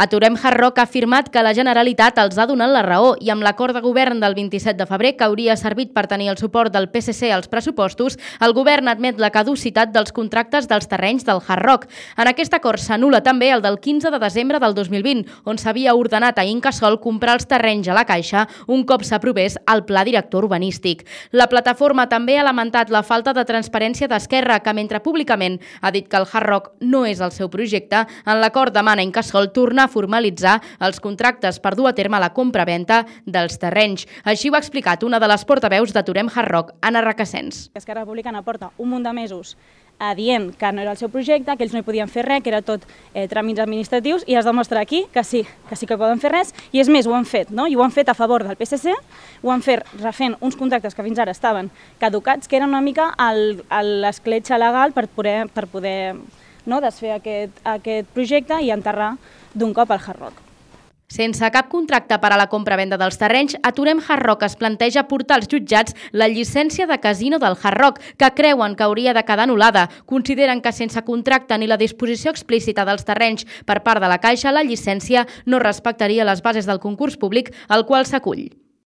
Aturem Hard Rock ha afirmat que la Generalitat els ha donat la raó i amb l'acord de govern del 27 de febrer, que hauria servit per tenir el suport del PSC als pressupostos, el govern admet la caducitat dels contractes dels terrenys del Hard Rock. En aquest acord s'anul·la també el del 15 de desembre del 2020, on s'havia ordenat a Incasòl comprar els terrenys a la Caixa un cop s'aprovés el pla director urbanístic. La plataforma també ha lamentat la falta de transparència d'Esquerra, que mentre públicament ha dit que el Hard Rock no és el seu projecte, en l'acord demana Incasòl tornar a formalitzar els contractes per dur a terme la compra-venta dels terrenys. Així ho ha explicat una de les portaveus d'Aturem Hard Rock, Anna Requesens. Esquerra Republicana porta un munt de mesos dient que no era el seu projecte, que ells no hi podien fer res, que era tot tràmits administratius, i es demostra aquí que sí que poden fer res, i és més, ho han fet, no? I ho han fet a favor del PSC, ho han fet refent uns contractes que fins ara estaven caducats, que eren una mica l'escletxa legal per poder desfer aquest projecte i enterrar d'un cop el Hard Rock. Sense cap contracte per a la compra-venda dels terrenys, Aturem Hard Rock es planteja portar als jutjats la llicència de casino del Hard Rock, que creuen que hauria de quedar anul·lada. Consideren que sense contracte ni la disposició explícita dels terrenys per part de la Caixa, la llicència no respectaria les bases del concurs públic al qual s'acull.